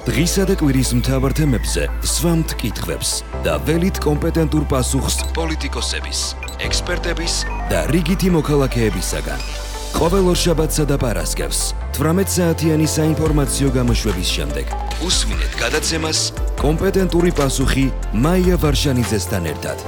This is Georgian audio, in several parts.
დღისა და კვირის მთავარ თემებზე სვამთ კითხვებს და ველით კომპეტენტურ პასუხს პოლიტიკოსების, ექსპერტების და რიგითი მოქალაქეებისაგან. ყოველ ორშაბათსა და პარასკევს 18 საათიანი საინფორმაციო გამოშვების შემდეგ უსმინეთ გადაცემას კომპეტენტური პასუხი მაია ვარშანიძესთან ერთად.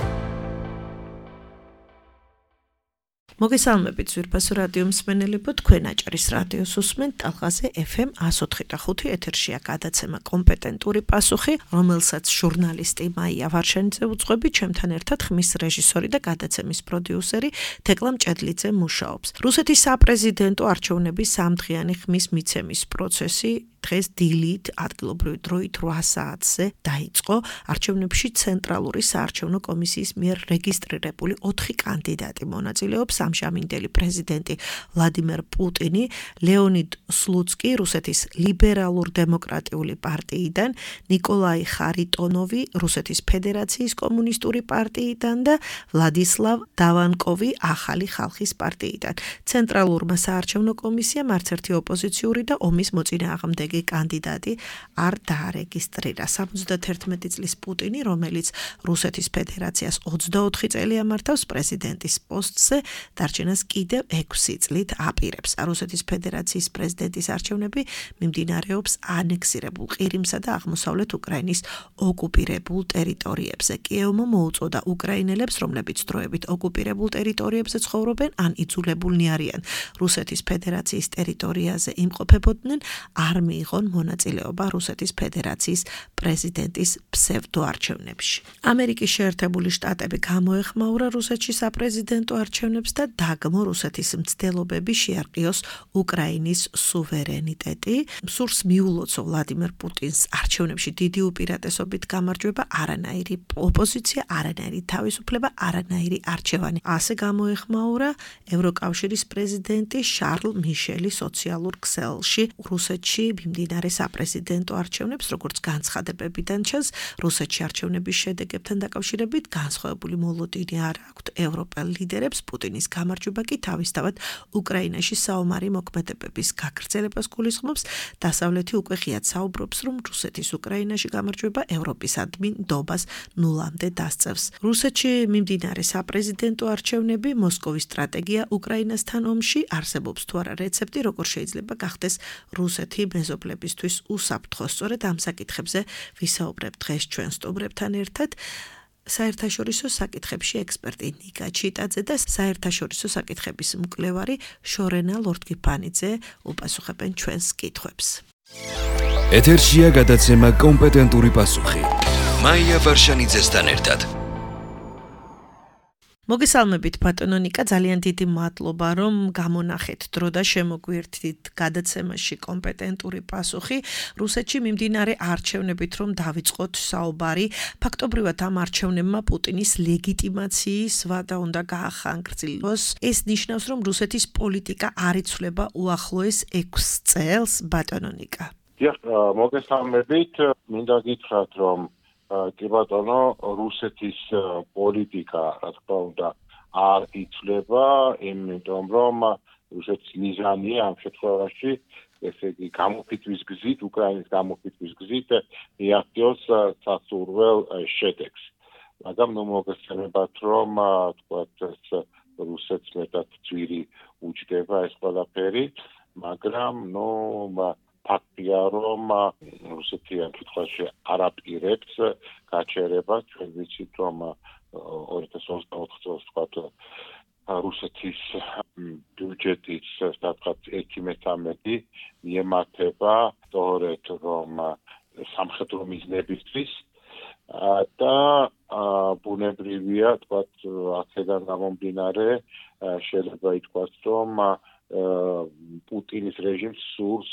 მოგესალმებით ზვირფასო რადიო მსმენელებო, თქვენ აჭარის რადიოს უსმენთ ტალღაზე FM 104.5 ეთერშია გადაცემა კომპეტენტური პასუხი, რომელსაც ჟურნალისტი მაია ვარშანიძე უძღვები, ჩემთან ერთად ხმის რეჟისორი და გადაცემის პროდიუსერი თეკლა მჭედლიძე მუშაობს. რუსეთის საპრეზიდენტო არჩევნების სამდღიანი ხმის მიცემის პროცესი დღეს დილით ადგილობრივი დროით 8 საათზე დაიწყო. არჩევნებში ცენტრალური საარჩევნო კომისიის მიერ რეგისტრირებული 4 კანდიდატი მონაწილეობს: ამჟამინდელი პრეზიდენტი ვლადიმერ პუტინი, ლეონიდ სლუცკი რუსეთის ლიბერალურ-დემოკრატიული პარტიიდან, ნიკოლაი ხარიტონოვი რუსეთის ფედერაციის კომუნისტური პარტიიდან და ვლადისლავ დავანკოვი ახალი ხალხის პარტიიდან. ცენტრალურმა საარჩევნო კომისიამ არც ერთი ოპოზიციური და ომის მოწინააღმდეგი კანდიდატი არ დაარეგისტრირა. 71 წლის პუტინი, რომელიც რუსეთის ფედერაციას 24 წელი ამართავს პრეზიდენტის პოსტზე, დარჩენას კიდევ 6 წლით აპირებს. რუსეთის ფედერაციის პრეზიდენტის არჩევნები მიმდინარეობს ანექსირებულ ყირიმსა და აღმოსავლეთ უკრაინის ოკუპირებულ ტერიტორიებზე. კიევმა მოუწოდა უკრაინელებს, რომლებიც დროებით ოკუპირებულ ტერიტორიებზე ცხოვრობენ ან იძულებულნი არიან რუსეთის ფედერაციის ტერიტორიაზე იმყოფებოდნენ, არ მიიღონ მონაწილეობა რუსეთის ფედერაციის პრეზიდენტის ფსევდოარჩევნებში. ამერიკის შეერთებული შტატები გამოეხმაურა რუსეთში საპრეზიდენტო არჩევნებს და დაგმო რუსეთის მცდელობები შეარყიოს უკრაინის სუვერენიტეტი. სურს მიულოცო ვლადიმერ პუტინს არჩევნებში დიდი უპირატესობით გამარჯვება, არანაირი ოპოზიცია, არანაირი თავისუფლება, არანაირი არჩევანი. ასე გამოეხმაურა ევროკავშირის პრეზიდენტი შარლ მიშელი სოციალურ ქსელში. რუსეთში მიმდინარე საპრეზიდენტო არჩევნებს, როგორც განცხადებებიდან ჩანს, რუსეთში არჩევნების შედეგებთან დაკავშირებით განსხვავებული მოლოდინი არ აქვთ ევროპელ ლიდერებს. პუტინის გამარჯვება კი თავისთავად უკრაინაში საომარი მოქმედებების გაგრძელებას გულისხმობს. დასავლეთი უკვე ღიად საუბრობს, რომ რუსეთის უკრაინაში გამარჯვება ევროპისადმი ნდობას ნულამდე დასწევს. რუსეთში მიმდინარე საპრეზიდენტო არჩევნები, მოსკოვის სტრატეგია უკრაინასთან ომში, არსებობს თუ არა რეცეპტი, როგორ შეიძლება გახდეს რუსეთი მეზობლებისთვის უსაფრთხო. სწორედ ამ საკითხებზე ვისაუბრებ დღეს ჩვენ სტუმრებთან ერთად. საერთაშორისო საკითხებში ექსპერტი ნიკა ჩიტაძე და საერთაშორისო საკითხების მკვლევარი შორენა ლორდგიფანიძე უპასუხებენ ჩვენს კითხვებს. ეთერშია გადაცემა კომპეტენტური პასუხი. მაია ვარშანიძესთან ერთად. მოგესალმებით ბატონო ნიკა, ძალიან დიდი მადლობა რომ გამონახეთ დრო და შემოგვიერთდით გადაცემაში კომპეტენტური პასუხი. რუსეთში მიმდინარე არჩევნებით რომ დავიწყოთ საუბარი, ფაქტობრივად ამ არჩევნებმა პუტინის ლეგიტიმაციის ვადა უნდა გაახანგრძილოს. ეს ნიშნავს, რომ რუსეთის პოლიტიკა არ იცვლება უახლოეს 6 წელს, ბატონო ნიკა. მოგესალმებით, მინდა გითხრათ რომ კი ბატონო, რუსეთის პოლიტიკა, რა თქმა უნდა, არ იცვლება, იმიტომ რომ რუსეთის მიზანია ამ შემთხვევაში, ესე იგი, გამოფიტვის გზით, უკრაინის გამოფიტვის გზით მიაღწიოს სასურველ შედეგს. მაგრამ მოგესალმებათ, რომ თქვათ რუსეთს მეტად ძვირი უჯდება ეს ყველაფერი, მაგრამ ფაქტია, რომ რუსეთი ამ შემთხვევაში არ აპირებს გაჩერებას. ჩვენ ვიცით, რომ 2024 წელს თქვათ რუსეთის ბიუჯეტის სადღაც 1/13 მიემართება სწორედ რომ სამხედრო მიზნებისთვის და ბუნებრივია, თქვათ, აქედან გამომდინარე შეიძლება ითქვას, რომ პუტინის რეჟიმს სურს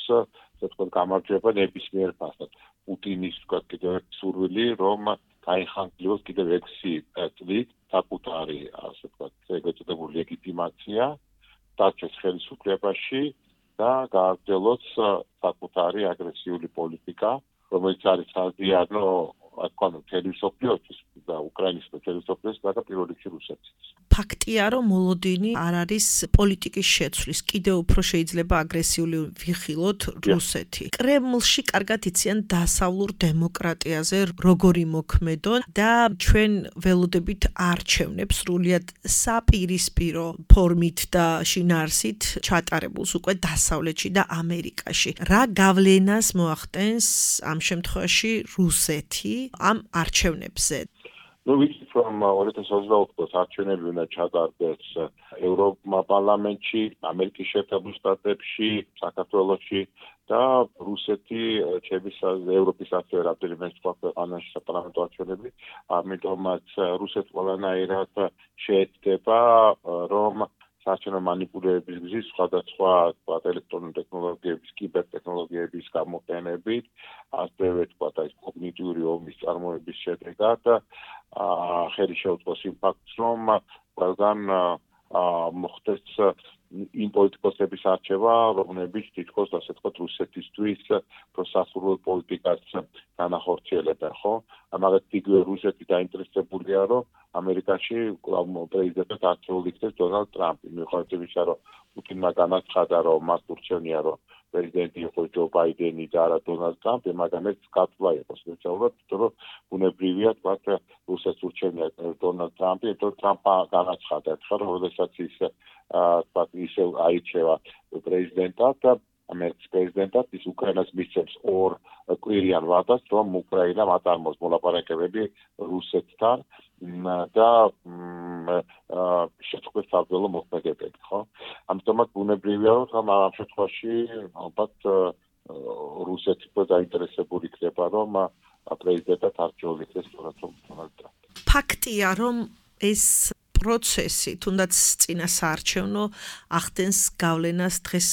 თქვათ გამარჯვება ნებისმიერ ფასად. პუტინის თქვათ კიდევ ერთი სურვილი, რომ გაიხანგრძლივოს კიდევ 6 წლით საკუთარი, ასე ვთქვათ, ეგრეთ წოდებული ლეგიტიმაცია დარჩეს ხელისუფლებაში და გააგრძელოს საკუთარი აგრესიული პოლიტიკა, რომელიც არის საზიანო თქვა თელესოფიოსთვის და უკრაინის თელესოფიოს და პირველ რიგში რუსეთის. ფაქტია, რომ მოლოდინი არ არის პოლიტიკის შეცვლის, კიდევ უფრო შეიძლება აგრესიული ვიხილოთ რუსეთი. კრემლში კარგად იციან დასავლურ დემოკრატიაზე როგორი მოქმედონ და ჩვენ ველოდებით არჩევნებს სრულიად საპირისპირო ფორმით და შინაარსით ჩატარებულს უკვე დასავლეთში და ამერიკაში. რა გავლენას მოახდენს ამ შემთხვევაში რუსეთი ამ არჩევნებზე? ვიცით რომ 2024 წელს არჩევნები უნდა ჩატარდეს ევროპარლამენტში, ამერიკის შეერთებულ შტატებში, საქართველოში და რუსეთი ევროპის ასევე რამდენიმე სხვა ქვეყანაში საპარლამენტო არჩევნები, ამიტომაც რუსეთი ყველანაირად შეეცდება რომ საარჩევნო მანიპულირების გზით სხვადასხვა ელექტრონული ტექნოლოგიების, კიბერთექნოლოგიების გამოყენებით, ასევე კოგნიტიური ომის წარმოების შედეგად ხელი შეუწყოს იმ ფაქტს, რომ ყველგან მოხდეს იმ პოლიტიკოსების არჩევა, რომლებიც თითქოს ასე ვთქვათ რუსეთისთვის სასურველ პოლიტიკას განახორციელებენ, ხო? ამაღაც იგივე რუსეთი დაინტერესებულია, რომ ამერიკაში პრეზიდენტად არჩეულ იქნეს დონალდ ტრამპი. მიუხედავად იმისა, რომ პუტინმა განაცხადა, რომ მას ურჩევნია, რომ პრეზიდენტი იყოს ჯო ბაიდენი და არა დონალდ ტრამპი, მაგრამ ეს გაცვლა იყო სპეციალურად, რომ ბუნებრივია თქვათ რუსეთს ურჩევნია დონალდ ტრამპი, იმიტომ ტრამპმა განაცხადა, რომ როდესაც ის თქვათ ისევ აირჩევა პრეზიდენტად და ამერიკის პრეზიდენტად ის უკრაინას მისცემს ორ კვირიან ვადას, რომ უკრაინამ აწარმოოს მოლაპარაკებები რუსეთთან და შეწყდეს საბრძოლო მოქმედებები, ხო? ამიტომაც ბუნებრივია, რომ ამ შემთხვევაში ალბათ რუსეთი დაინტერესებული იქნება, რომ პრეზიდენტად არჩეულ იქნეს დონალდ ტრამპი. ფაქტია, რომ ეს პროცესი, თუნდაც წინა საარჩევნო ახდენს გავლენას დღეს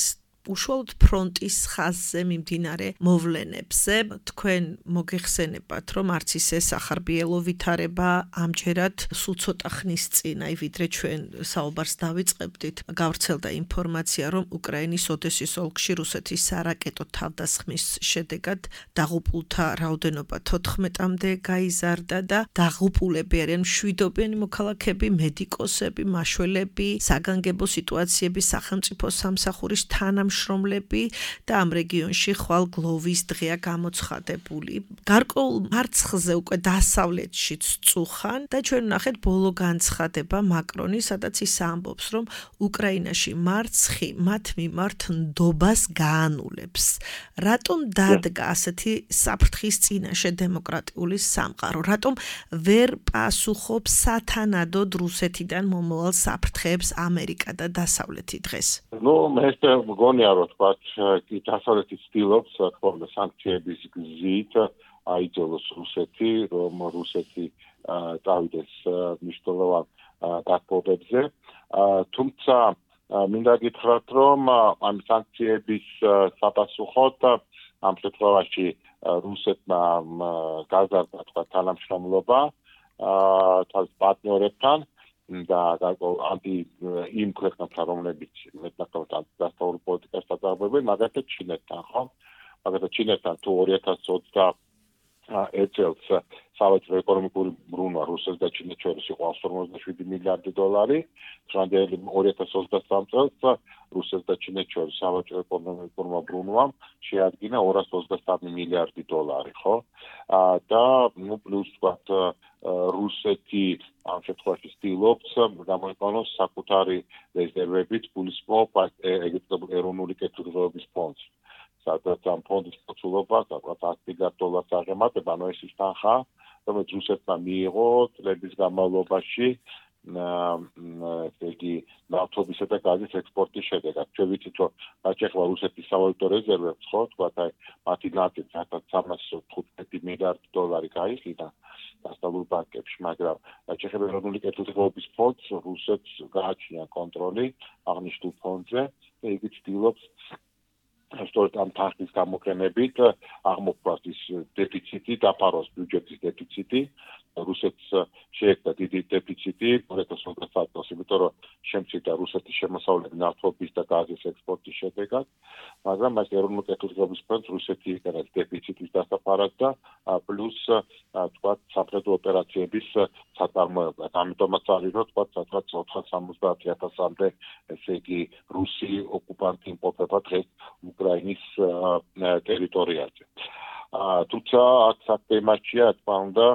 უშუალოდ ფრონტის ხაზზე მიმდინარე მოვლენებზე. თქვენ მოგეხსენებათ, რომ არც ისე სახარბიელო ვითარება ამჯერად სულ ცოტა ხნის წინ, ვიდრე ჩვენ საუბარს დავიწყებდით, გავრცელდა ინფორმაცია, რომ უკრაინის ოდესის ოლქში რუსეთის სარაკეტო თავდასხმის შედეგად დაღუპულთა რაოდენობა 14-მდე გაიზარდა და დაღუპულები არიან მშვიდობიანი მოქალაქეები, მედიკოსები, მაშველები, საგანგებო სიტუაციების სახელმწიფო სამსახურის თანამშრომლები და ამ რეგიონში ხვალ გლოვის დღეა გამოცხადებული. გარკვეულ მარცხზე უკვე დასავლეთშიც წუხან და ჩვენ ვნახეთ ბოლო განცხადება მაკრონის, სადაც ის ამბობს, რომ უკრაინაში მარცხი მათ მიმართ ნდობას გაანულებს. რატომ დადგა ასეთი საფრთხის წინაშე დემოკრატიული სამყარო? რატომ ვერ პასუხობს სათანადოდ რუსეთიდან მომავალ საფრთხეებს ამერიკა და დასავლეთი დღეს? ეს მგონია, რომ თქვათ, დასავლეთი ცდილობს ხოლმე სანქციების გზით აიძულოს რუსეთი, რომ რუსეთი წავიდეს მნიშვნელოვან გათბობებზე. თუმცა მინდა გითხრათ, რომ ამ სანქციების საპასუხოდ ამ შემთხვევაში რუსეთმა გაზარდა თქვათ თანამშრომლობა თავის პარტნიორებთან და იმ ქვეყნებთან, რომლებიც მეტნაკლებად დასავლურ პოლიტიკას აწარმოებენ, მაგალითად ჩინეთთან, ხო? მაგალითად ჩინეთთან თუ 2021 წელს სავაჭრო ეკონომიკური ბრუნვა რუსეთს და ჩინეთს შორის იყო 157 მილიარდი დოლარი, დღემდე 2023 წელს რუსეთს და ჩინეთს შორის სავაჭრო ეკონომიკური ბრუნვა შეადგინა 223 მილიარდი დოლარი, ხო? და პლუს თქვათ რუსეთი ამ შემთხვევაში ცდილობს გამოიყენოს საკუთარი რეზერვებით გულისხმობ ეგრეთ ეროვნული კეთილდღეობის ფონდს. სადაც ამ ფონდის მოცულობა საკუთარ 100 მილიარდ დოლარს აღემატება, ანუ ეს ის თანხა, რომელიც რუსეთმა მიიღო წლების განმავლობაში ნავთობისა და გაზის ექსპორტის შედეგად. ჩვენ ვიცით, რომ გაჩეხლა რუსეთის სავალუტო რეზერვებს, ხო, თქვათ, მათი ნაწილი 315 მილიარდი დოლარი გაიყიდა დასავლურ ბანკებში, მაგრამ ჩეხეთის ეროვნული კეთილდღეობის ფონდს რუსეთს გააჩნია კონტროლი აღნიშნულ ფონდზე და იგი ცდილობს სწორედ ამ თანხის გამოყენებით აღმოფხვრას ის დეფიციტი, დაფაროს ბიუჯეტის დეფიციტი. რუსეთს შეექმნა დიდი დეფიციტი 2023 წელს, იმიტომ რომ შემცირდა რუსეთის შემოსავლები ნავთობის და გაზის ექსპორტის შედეგად, მაგრამ მას ეროვნულ კეთილდღეობის ფონდს რუსეთი იყენებს დეფიციტის დასაფარად და პლუს თქვათ საფრთხე ოპერაციების საწარმოებლად. ამიტომაც არის რომ თქვათ 470,000-მდე ესე იგი რუსი ოკუპანტი იმყოფება დღეს უკრაინის ტერიტორიაზე. თუმცა აქ საქმეშია თქმა უნდა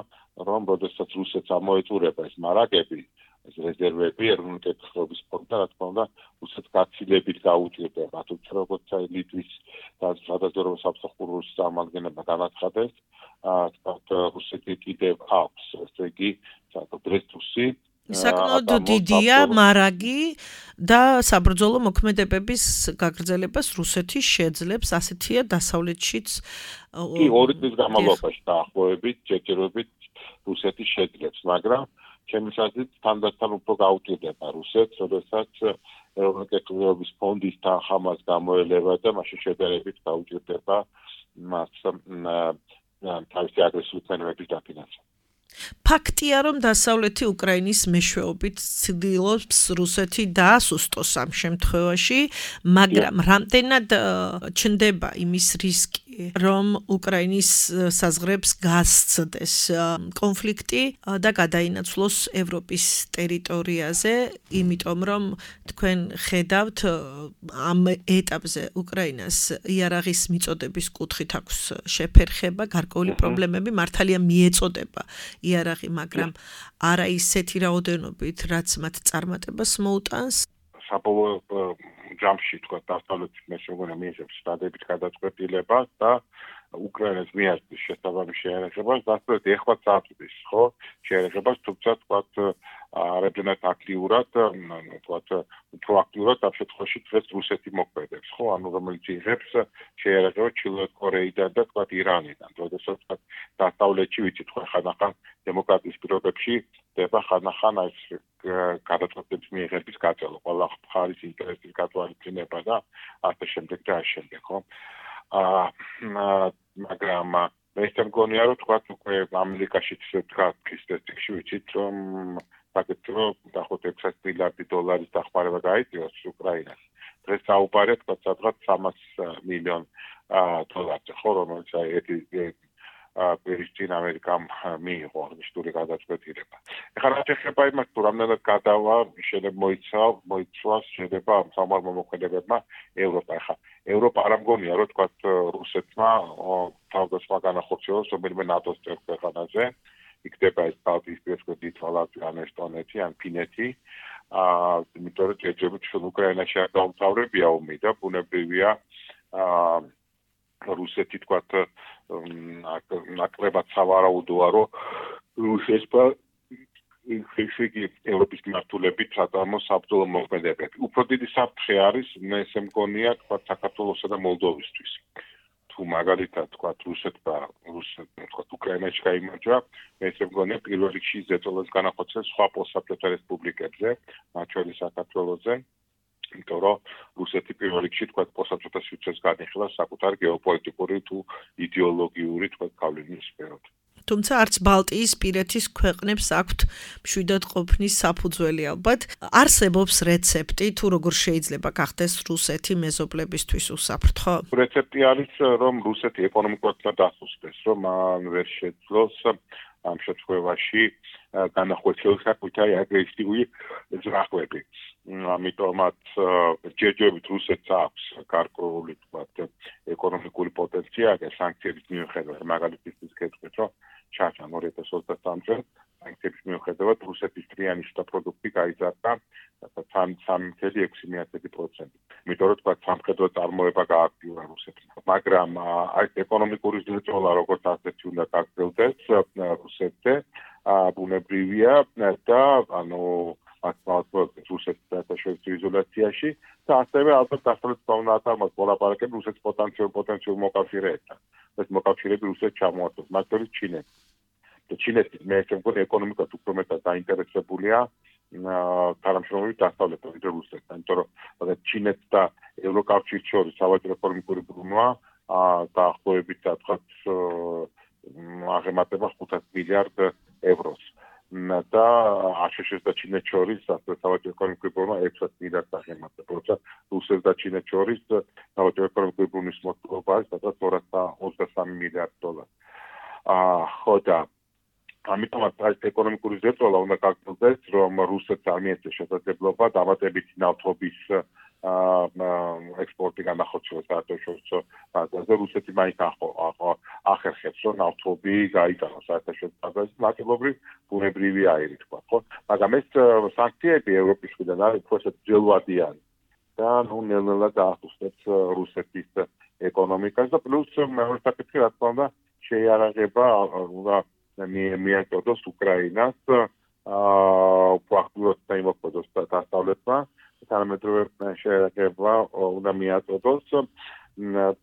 რომ როდესაც რუსეთს ამოეწურება ეს მარაგები, ეს რეზერვები ეროვნული კეთილდღეობის ფონდთან, რა თქმა უნდა, რუსეთს გაცილებით გაუჭირდება. თუმცა როგორც ლიტვის და სადაზვერვო სამსახურის წარმომადგენელმა განაცხადეს, თქვათ რუსეთი კიდევ აქვს, ესე იგი, დრესტუსი საკმაოდ დიდია მარაგი და საბრძოლო მოქმედებების გაგრძელებას რუსეთი შეძლებს, ასეთია დასავლეთშიც. კი, 2 წლის განმავლობაში დაახლოებით, ჯერჯერობით რუსეთი შეძლებს, მაგრამ ჩემს აზრით თანდათან უფრო გაუჭირდება რუსეთს, როდესაც ეროვნული კეთილდღეობის ფონდის თანხამას გამოელება და მაშინ შედარებით გაუჭირდება მას თავისი აგრესიული ფენების დაფინანსება. ფაქტია, რომ დასავლეთი უკრაინის მეშვეობით ცდილობს რუსეთი დაასუსტოს ამ შემთხვევაში, მაგრამ რამდენად ჩნდება იმის რისკი, რომ უკრაინის საზღვრებს გასცდეს კონფლიქტი და გადაინაცვლოს ევროპის ტერიტორიაზე, იმიტომ რომ თქვენ ხედავთ ამ ეტაპზე უკრაინას იარაღის მიწოდების კუთხით აქვს შეფერხება, გარკვეული პრობლემები, მართალია მიეწოდება იარაღი, მაგრამ არა ისეთი რაოდენობით, რაც მათ წარმატებას მოუტანს. საბოლოო ჯამში თქვა დასავლეთის მეშვეობანა მიიღებს სტადებით გადაწყვეტილებას და უკრაინას მიაღწევს შესაბამის შეერაღებას, დასავლეთი ეხლა წაწვდის, ხო? შეერაღებას, თუმცა თქვა არადენად აქტიურად, თქვა უფრო აქტიურად ამ შემთხვევაში დღეს რუსეთი მოქმედებს, ხო? ანუ რომელიც იღებს შეერაღებას ჩრდილოეთ კორეიდან და თქვა ირანიდან. როდესაც თქვა დასავლეთში ვიცით ხო ხანახან დემოკრატიის პირობებში ხდება ხანახან ეს გადაწყვეტილების მიიღების გაწევა, ყველა მხარის ინტერესის გათვალისწინება და ასე შემდეგ და ასე შემდეგ, ხო? მაგრამ მე მგონია რომ თქვა უკვე ამერიკაშიც თქვა ფისტექში ვიცით რომ საკეთრო დაახლოებით 600 მილიარდი დოლარის დახმარება გაიწვიოს უკრაინას. დღეს საუბარია თქვა სადღაც 300 მილიონ დოლარზე, ხო, რომელიც პირისწინ ამერიკამ მიიღო აღნიშნული გადაწყვეტილება. ეხლა რა შეხება იმას, თუ რამდენად გადავა, შეიძლება მოიცვას შეიძლება ამ სამართალ მოქმედებებმა ევროპა. ეხლა ევროპა არ მგონია, რომ თქვა რუსეთმა თავდასხმა განახორციელოს რომელიმე ნატოს წევრ ქვეყანაზე. იქნება ეს ბალტიისპირეთში ლიტვა, ესტონეთი ან ფინეთი. იმიტომ რომ ჯერჯერობით უკრაინაში არ დაუმთავრებია ომი და ბუნებრივია რუსეთი თქვა ნაკლებად სავარაუდოა, რომ რუსეთმა ისეთი ევროპის მმართველებით საწარმოს საბრძოლო მოქმედებები. უფრო დიდი საფრთხე არის, მე ესე მგონია, თქვა საქართველოსა და მოლდოვისთვის. თუ მაგალითად თქვა რუსეთმა უკრაინაში გაიმარჯვა, მე ესე მგონია პირველ რიგში ზეწოლას განახორციელებს სხვა პოსტსაბჭოთა რესპუბლიკებზე, მათ შორის საქართველოზე. იმიტომ რომ რუსეთი პირველ რიგში თქვა პოსტსაბჭოთა სივრცეს განიხილავს საკუთარი გეოპოლიტიკური თუ იდეოლოგიური თქვა გავლენის სფეროთ. თუმცა არც ბალტიისპირეთის ქვეყნებს აქვთ მშვიდად ყოფნის საფუძველი ალბათ. არსებობს რეცეპტი, თუ როგორ შეიძლება გახდეს რუსეთი მეზობლებისთვის უსაფრთხო? რეცეპტი არის, რომ რუსეთი ეკონომიკურად დასუსტდეს, რომ ვერ შეძლოს ამ შემთხვევაში განახორციელოს საკუთარი აგრესიული ზრახვები. ამიტომაც ჯერჯერობით რუსეთს აქვს გარკვეული თქვა ეკონომიკური პოტენციალი სანქციების მიუხედავად, მაგალითად გეტყვით, რომ ჩაჩან 2023 წელს სანქციების მიუხედავად რუსეთის დრიანი შტა პროდუქტი გაიზარდა 3.6%. იმიტომ რომ თქვა სამხედრო წარმოება გააქტიურა რუსეთმა. მაგრამ აი ეკონომიკური ზრდოლა როგორც ასეთი უნდა გაგრძელდეს რუსეთზე, ბუნებრივია და ანუ აკმაოთებს რუსეთის საერთაშორისო იზოლაციაში და ასევე ალბათ დასავლეთს უნდა აწარმოოს მოლაპარაკებები რუსეთის პოტენციურ მოკავშირეებთან. ეს მოკავშირეები რუსეთს ჩამოართვეს, მათ შორის ჩინეთი. და ჩინეთი მე მგონი ეკონომიკად უფრო მეტად დაინტერესებულია თანამშრომლობით დასავლეთთან, ვიდრე რუსეთთან, იმიტომ რომ ჩინეთს და ევროკავშირს შორის სავაჭრო ეკონომიკური ბრუნვა დაახლოებით თქვა აღემატება 500 მილიარდ ევროს. და აშშ და ჩინეთს შორის სავაჭრო ეკონომიკური პრობლემა 6 მილიარდ აღემატება, როცა რუსეთს და ჩინეთს შორის სავაჭრო ეკონომიკური პრობლემის მოთხოვნა არის სადღაც 223 მილიარდ დოლარი. ხო და ამიტომაც ეს ეკონომიკური ზეწოლა უნდა გაგრძელდეს, რომ რუსეთს არ მიეწეს შესაძლებლობა დამატებითი ნავთობის ექსპორტი განახორციელოს საერთაშორისო ბაზარზე. რუსეთი მაინც ახერხებს, რომ ნავთობი გაიტანოს საერთაშორისო ბაზარზე, ნაწილობრივ ბუნებრივი აირი თქვა, ხო? მაგრამ ეს სანქციები ევროპის მხრიდან არის უფრო ძველვადიანი და ნელ-ნელა დაახუსებს რუსეთის ეკონომიკას და პლუს მეორე საკითხი, რა თქმა უნდა, შეიარაღება უნდა მიაწოდოს უკრაინას პრაქტიკულად დაიმოქმედოს დასავლეთმა, თანამედროვე შეიარაღება უნდა მიაწოდოს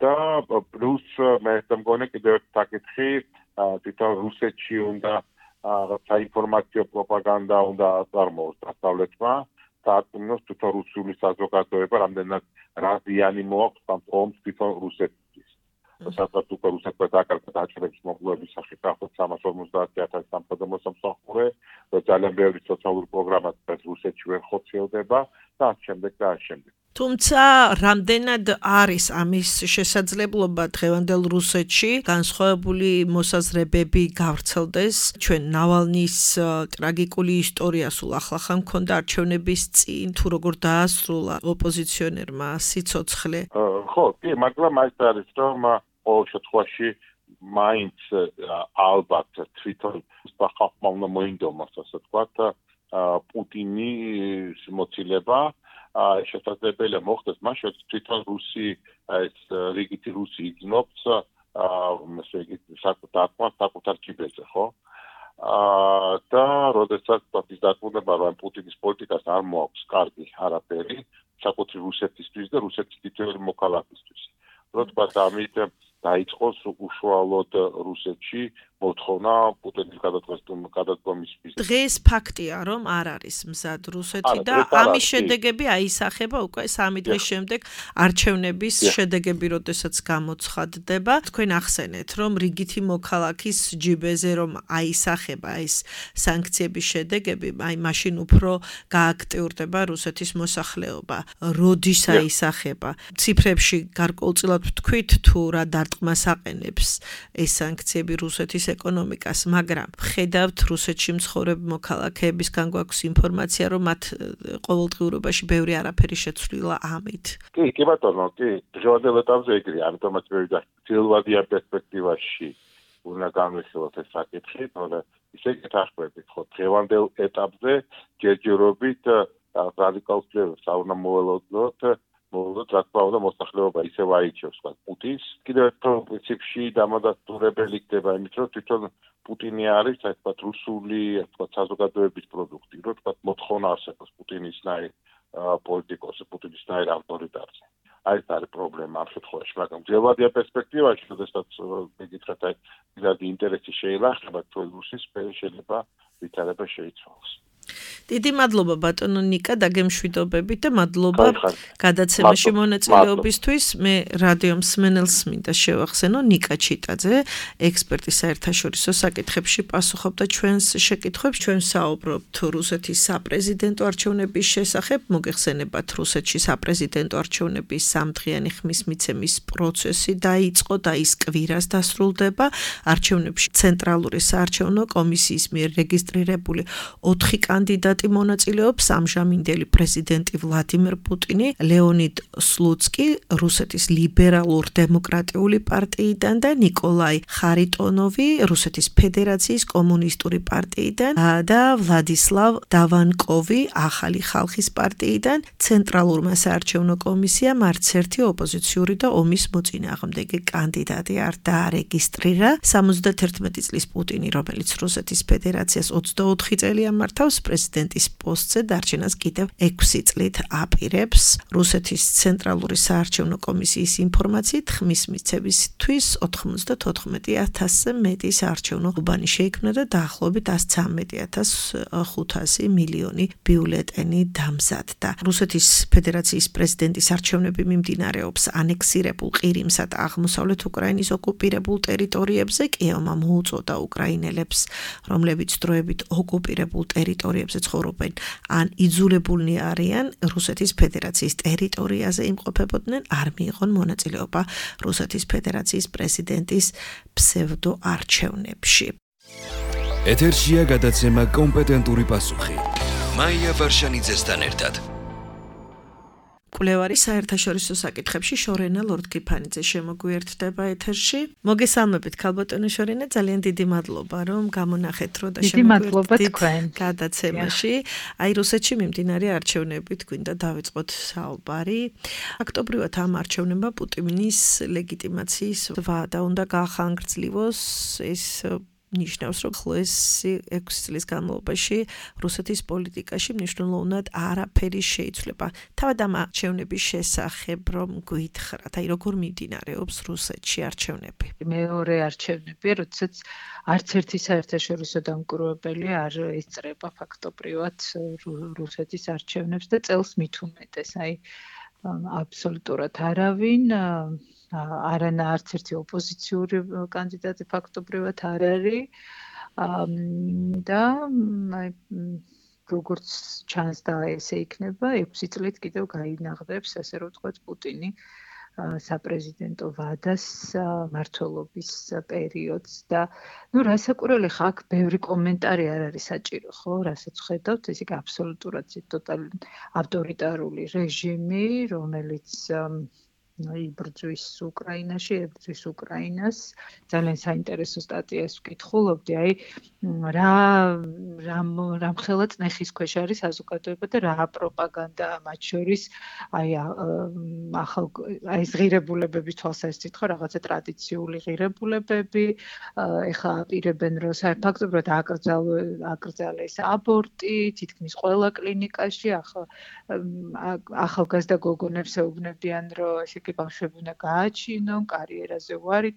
და პლუს მე მგონი კიდევ ერთი საკითხი, თვითონ რუსეთში უნდა საინფორმაციო პროპაგანდა უნდა აწარმოოს დასავლეთმა, საარწმუნოს თვითონ რუსული საზოგადოება რამდენად რა ზიანი მოაქვს ამ ომს თვითონ რუსეთისთვის. სადღაც უკვე რუსეთმა დაკარგა დაჭერების მოგლუების სახით დაახლოებით 350,000 სამხედრო მოსამსახურე, ძალიან ბევრი სოციალური პროგრამა რუსეთში ვერ ხორციელდება და ამ შემდეგ. თუმცა რამდენად არის ამის შესაძლებლობა დღევანდელ რუსეთში განსხვავებული მოსაზრებები გავრცელდეს ჩვენ ნავალნის ტრაგიკული ისტორია სულ ახლახან მქონდა არჩევნების წინ თუ როგორ დაასრულა ოპოზიციონერმა სიცოცხლე? ხო, კი, მაგრამ ეს არის რომ ყოველ შემთხვევაში მაინც ალბათ თვითონ ხალხმა უნდა მოინდომოს, ასე ვთქვათ, პუტინის მოცილება შესაძლებელია მოხდეს მაშინ თვითონ რიგითი რუსი იგნობს საკუთარ ჯიბეზე, ხო? და როდესაც ის დაკვირდება, რომ პუტინის პოლიტიკას არ მოაქვს კარგი არაფერი საკუთრი რუსეთისთვის და რუსეთის თითოეული მოქალაქისთვის. რო თქვა ამით დაიწყოს უშუალოდ რუსეთში მოთხოვნა პუტინის გადადგომის მიზნით. დღეს ფაქტია, რომ არ არის მზად რუსეთი და ამის შედეგები აისახება უკვე 3 დღის შემდეგ არჩევნების შედეგები, როდესაც გამოცხადდება. თქვენ ახსენეთ, რომ რიგითი მოქალაქის ჯიბეზე რომ აისახება ეს სანქციების შედეგები, აი მაშინ უფრო გააქტიურდება რუსეთის მოსახლეობა. როდის აისახება? ციფრებში გარკვეულწილად ვთქვით თუ რა დარტყმას აყენებს ეს სანქციები რუსეთის ეკონომიკას, მაგრამ ხედავთ რუსეთში მცხოვრები მოქალაქეებისგან გვაქვს ინფორმაცია, რომ მათ ყოველდღიურობაში ბევრი არაფერი შეცვლილა ამით. კი ბატონო, კი, დღევანდელ ეტაპზე ეგრეა, ამიტომაც მე ძველვადიან პერსპექტივაში უნდა განვიხილოთ ეს საკითხი, თორე ისე გეთახმებით, ხო, დღევანდელ ეტაპზე ჯერჯერობით რადიკალ ცვლილებებს არ უნდა მოველოდოთ, რა თქმა უნდა, მოსახლეობა ისევ აირჩევს პუტინს. კიდევ ერთ პრინციპში დამადასტურებელი ხდება იმით, რომ თვითონ პუტინი არის, ასე ვთქვათ, რუსული, ასე ვთქვათ, საზოგადოების პროდუქტი, რომ თქვათ, მოთხოვნა არსებობს პუტინისნაირ პოლიტიკოსზე, პუტინისნაირ ავტორიტარზე. აი ეს არის პრობლემა ამ შემთხვევაში, მაგრამ ძველვადიან პერსპექტივაში, როდესაც მეკითხეთ, აი, პირადი ინტერესი შეილახება, თუ რუსის შეიძლება ვითარება შეიცვალოს. დიდი მადლობა ბატონო ნიკა დაგემშვიდობებით და მადლობა გადაცემაში მონაწილეობისთვის. მე რადიო მსმენელს მინდა შევახსენო ნიკა ჩიტაძე, ექსპერტი საერთაშორისო საკითხებში პასუხობდა ჩვენს შეკითხვებს. ჩვენ საუბრობთ რუსეთის საპრეზიდენტო არჩევნების შესახებ. მოგეხსენებათ, რუსეთში საპრეზიდენტო არჩევნების 3დღიანი ხმის მიცემის პროცესი დაიწყო და ის კვირას დასრულდება. არჩევნებში ცენტრალური საარჩევნო კომისიის მიერ რეგისტრირებული 4 კანდიდატი მონაწილეობს, ამჟამინდელი პრეზიდენტი ვლადიმერ პუტინი, ლეონიდ სლუცკი რუსეთის ლიბერალურ-დემოკრატიული პარტიიდან და ნიკოლაი ხარიტონოვი რუსეთის ფედერაციის კომუნისტური პარტიიდან და ვლადისლავ დავანკოვი ახალი ხალხის პარტიიდან. ცენტრალურმა საარჩევნო კომისიამ არც ერთი ოპოზიციური და ომის მოწინააღმდეგე კანდიდატი არ დაარეგისტრირა. 71 წლის პუტინი, რომელიც რუსეთის ფედერაციას 24 წელია მართავს, პრეზიდენტის პოსტზე დარჩენას კიდევ 6 წლით აპირებს. რუსეთის ცენტრალური საარჩევნო კომისიის ინფორმაციით ხმის მიცემისთვის 94,000-ზე მეტი საარჩევნო უბანი შეიქმნა და დაახლოებით 113,500 მილიონი ბიულეტენი დამზადდა. რუსეთის ფედერაციის პრეზიდენტის არჩევნები მიმდინარეობს ანექსირებულ ყირიმსა და აღმოსავლეთ უკრაინის ოკუპირებულ ტერიტორიებზე. კიევმა მოუწოდა უკრაინელებს, რომლებიც დროებით ოკუპირებულ ტერიტორიებზე ცხოვრობენ, ან იძულებულნი არიან რუსეთის ფედერაციის ტერიტორიაზე იმყოფებოდნენ, არ მიიღონ მონაწილეობა რუსეთის ფედერაციის პრეზიდენტის ფსევდოარჩევნებში. ეთერშია გადაცემა კომპეტენტური პასუხი. მაია ვარშანიძესთან ერთად. კვლევარი საერთაშორისო საკითხებში შორენა ლორდ-კიფანიძე შემოგვიერთდება ეთერში. მოგესალმებით ქალბატონო შორენა, ძალიან დიდი მადლობა რომ გამონახეთ რო და შემოგვიერთდით გადაცემაში. აი რუსეთში მიმდინარე არჩევნებით გვინდა დავიწყოთ საუბარი. ფაქტობრივად ამ არჩევნებმა პუტინის ლეგიტიმაციის ვადა უნდა გაახანგრძლიოს. ეს ნიშნავს, რომ ეს 6 წლის განმავლობაში რუსეთის პოლიტიკაში მნიშვნელოვნად არაფერი შეიცვლება. თავად ამ არჩევნების შესახებ რომ გითხრათ, აი როგორ მიმდინარეობს რუსეთში არჩევნები? მეორე არჩევნები, როდესაც არც ერთი საერთაშორისო დამკვირვებელი არ ესწრება ფაქტობრივად რუსეთის არჩევნებს და წელს მით უმეტეს, აი აბსოლუტურად არავინ არანა არც ერთი ოპოზიციური კანდიდატი ფაქტობრივად არ არის და როგორც ჩანს და ესე იქნება 6 წლით კიდევ გაინაღდებს, ასე რომ ვთქვათ, პუტინი საპრეზიდენტო ვადას მმართველობის პერიოდს და რასაკვირველი ხა აქ ბევრი კომენტარი არ არის საჭირო, ხო, რასაც ხედავთ, ეს იქ აბსოლუტურად ავტორიტარული რეჟიმი, რომელიც იბრძვის უკრაინაში, ებრძვის უკრაინას. ძალიან საინტერესო სტატიას ვკითხულობდი, აი რა მხელა წნეხის ქვეშ არის საზოგადოება და რა პროპაგანდაა მათ შორის, აი ეს ღირებულებების თვალსაზრისით ხო, რაღაცა ტრადიციული ღირებულებები, ეხა აპირებენ რომ ფაქტობრივად აკრძალეს აბორტი, თითქმის ყველა კლინიკაში, ახალგაზრდა გოგონებს ეუბნებიან, რომ ესე ბავშვები უნდა გააჩინონ, კარიერაზე უარი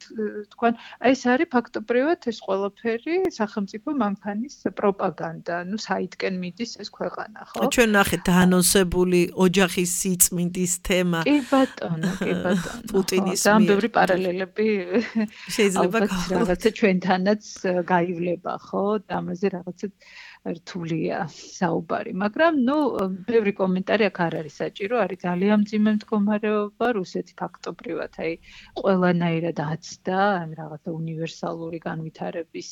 თქვან. ეს არის ფაქტობრივად ეს ყველაფერი სახელმწიფო მანქანის პროპაგანდა. საიდკენ მიდის ეს ქვეყანა, ხო? ჩვენ ნახეთ დაანონსებული ოჯახის სიწმინდის თემა. კი ბატონო. პუტინის და ბევრი პარალელები შეიძლება რაღაცა ჩვენთანაც გაივლება, ხო? და ამაზე რაღაცა რთულია საუბარი, მაგრამ ბევრი კომენტარი აქ არ არის საჭირო, არის ძალიან მძიმე მდგომარეობა, რუსეთი ფაქტობრივად აი ყველანაირად აცდა ამ რაღაცა უნივერსალური განვითარების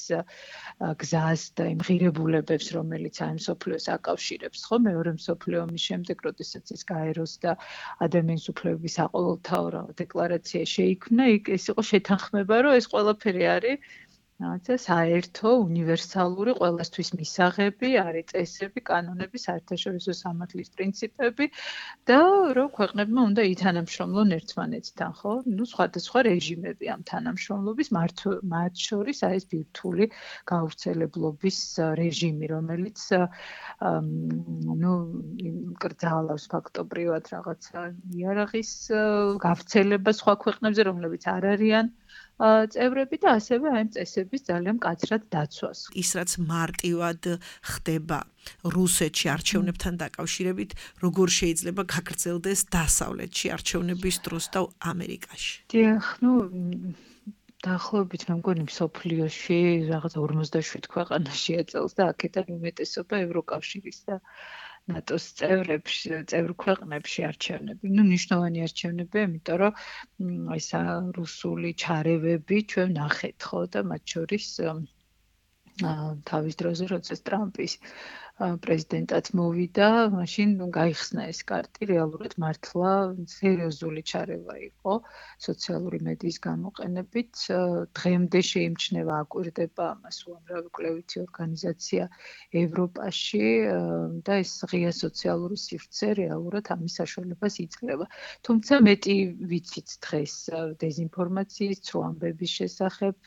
გზას და იმ ღირებულებებს, რომელიც აი მსოფლიოს აკავშირებს, ხო, მეორე მსოფლიო ომის შემდეგ, როდესაც ის გაეროს და ადამიანის უფლებების საყოველთაო დეკლარაცია შეიქმნა, ეს იყო შეთანხმება, რომ ეს ყველაფერი არის რაღაცა საერთო, უნივერსალური, ყველასთვის მისაღები, არის წესები, კანონები, საერთაშორისო სამართლის პრინციპები და რომ ქვეყნებმა უნდა ითანამშრომლონ ერთმანეთთან, ხო? სხვადასხვა რეჟიმები ამ თანამშრომლობის, მათ შორის აი ეს ბირთვული გავრცელებლობის რეჟიმი, რომელიც კრძალავს ფაქტობრივად რაღაცა იარაღის გავრცელებას სხვა ქვეყნებზე, რომლებიც არ არიან წევრები და ასევე აი წესების ძალიან მკაცრად დაცვას. ის რაც მარტივად ხდება რუსეთში არჩევნებთან დაკავშირებით, როგორ შეიძლება გაგრძელდეს დასავლეთში არჩევნების დროს და ამერიკაში? დიახ, დაახლოებით მე მგონი მსოფლიოში რაღაც 57 ქვეყანაშია წელს და აქედან უმეტესობა ევროკავშირის და ნატოს წევრ ქვეყნებში არჩევნები. მნიშვნელოვანი არჩევნებია, იმიტომ რომ ეს რუსული ჩარევები ჩვენ ნახეთ, ხო, და მათ შორის თავის დროზე, როდესაც ტრამპის პრეზიდენტად მოვიდა, მაშინ გაიხსნა ეს კარტი, რეალურად მართლა სერიოზული ჩარევა იყო სოციალური მედიის გამოყენებით. დღემდე შეიმჩნევა, აკვირდება ამას უამრავი კვლევითი ორგანიზაცია ევროპაში და ეს ღია სოციალური სივრცე რეალურად ამის საშუალებას იძლევა. თუმცა მეტი ვიცით დღეს დეзинფორმაციის, ცრუ ამბების შესახებ,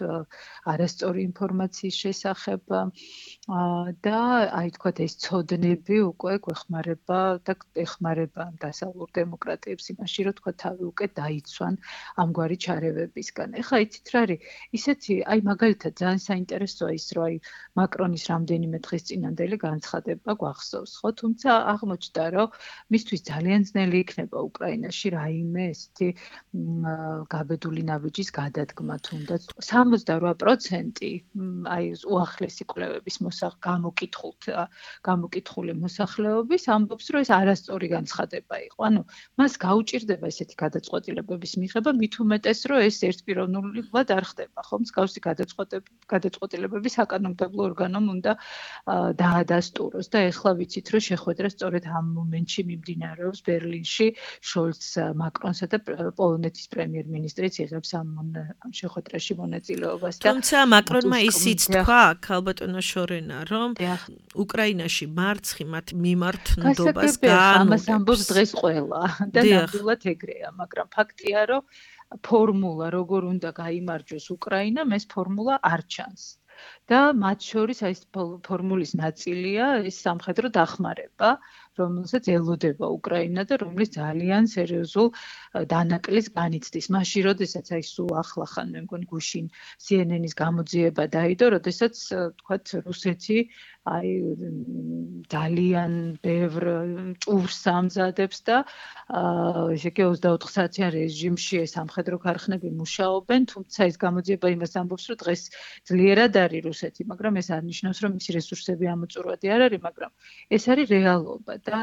არასწორი ინფორმაციის შესახებ და აი თქვათ ეს ცოდნები უკვე გვეხმარება და ეხმარება დასავლურ დემოკრატიებს იმაში, რომ თქვა თავი უკვე დაიცვან ამგვარი ჩარევებისგან. ეხლა იცით რა არის? ისეთი, აი მაგალითად ძალიან საინტერესოა ის, რომ აი მაკრონის რამდენიმე დღის წინანდელი განცხადება გვახსოვს, ხო? თუმცა აღმოჩნდა, რომ მისთვის ძალიან ძნელი იქნება უკრაინაში რაიმე ესეთი გაბედული ნაბიჯის გადადგმა თუნდაც 78% აი უახლესი კვლევების გამოკითხული მოსახლეობის ამბობს, რომ ეს არასწორი განცხადება იყო. ანუ მას გაუჭირდება ესეთი გადაწყვეტილებების მიღება, მით უმეტეს, რომ ეს ერთპიროვნულად არ ხდება, ხო? მსგავსი გადაწყვეტილებები საკანონმდებლო ორგანომ უნდა დაადასტუროს და ეხლა ვიცით, რომ შეხვედრა სწორედ ამ მომენტში მიმდინარეობს ბერლინში, შოლცს, მაკრონსა და პოლონეთის პრემიერ-მინისტრიც იღებს ამ შეხვედრაში მონაწილეობას და თუმცა მაკრონმა ისიც თქვა, ქალბატონო შორენა, რომ უკრაინაში მარცხი მათ მიმართ ნდობას გაანონებს. ამას ამბობს დღეს ყველა და ნამდვილად ეგრეა, მაგრამ ფაქტია, რომ ფორმულა როგორ უნდა გაიმარჯვოს უკრაინამ, ეს ფორმულა არ ჩანს. და მათ შორის აი ეს ფორმულის ნაწილია ეს სამხედრო დახმარება, რომელსაც ელოდება უკრაინა და რომლის ძალიან სერიოზულ დანაკლის განიცდის. მაშინ, როდესაც აი სულ ახლახან მე მგონი გუშინ CNN-ის გამოძიება დაიდო, როდესაც თქვათ რუსეთი აი ძალიან ბევრ ჭურს ამზადებს და ესე იგი 24 საათიან რეჟიმში ეს სამხედრო ქარხნები მუშაობენ, თუმცა ეს გამოძიება იმას ამბობს, რომ დღეს ძლიერად არის რუსეთი, მაგრამ ეს არ ნიშნავს, რომ მისი რესურსები ამოწურვადი არ არის, მაგრამ ეს არის რეალობა და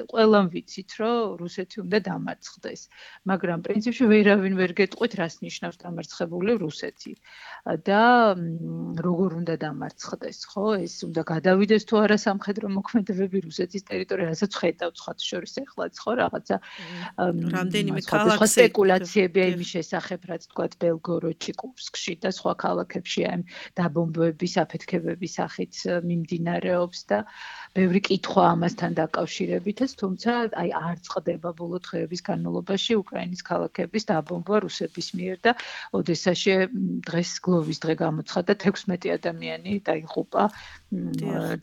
ყველამ ვიცით, რომ რუსეთი უნდა დამარცხდეს, მაგრამ პრინციპში ვერავინ ვერ გეტყვით, რას ნიშნავს დამარცხებული რუსეთი და როგორ უნდა დამარცხდეს, ხო? ეს უნდა გადავიდეს თუ არა სამხედრო მოქმედებები რუსეთის ტერიტორიაზე, რასაც ხედავთ სხვა შორის ეხლაც, ხო, რაღაცა რამდენიმე ქალაქში სპეკულაციები იმის შესახებ, რაც თქვა ბელგოროდში, კურსკში და სხვა ქალაქებში ამ დაბომბვების, აფეთქებების სახით მიმდინარეობს და ბევრი კითხვა ამასთან დაკავშირებითაც, თუმცა აი არ წყდება ბოლო დღეების განმავლობაში უკრაინის ქალაქების დაბომბვა რუსების მიერ და ოდესაში დღეს გლოვის დღე გამოცხადდა 16 ადამიანი დაიღუპა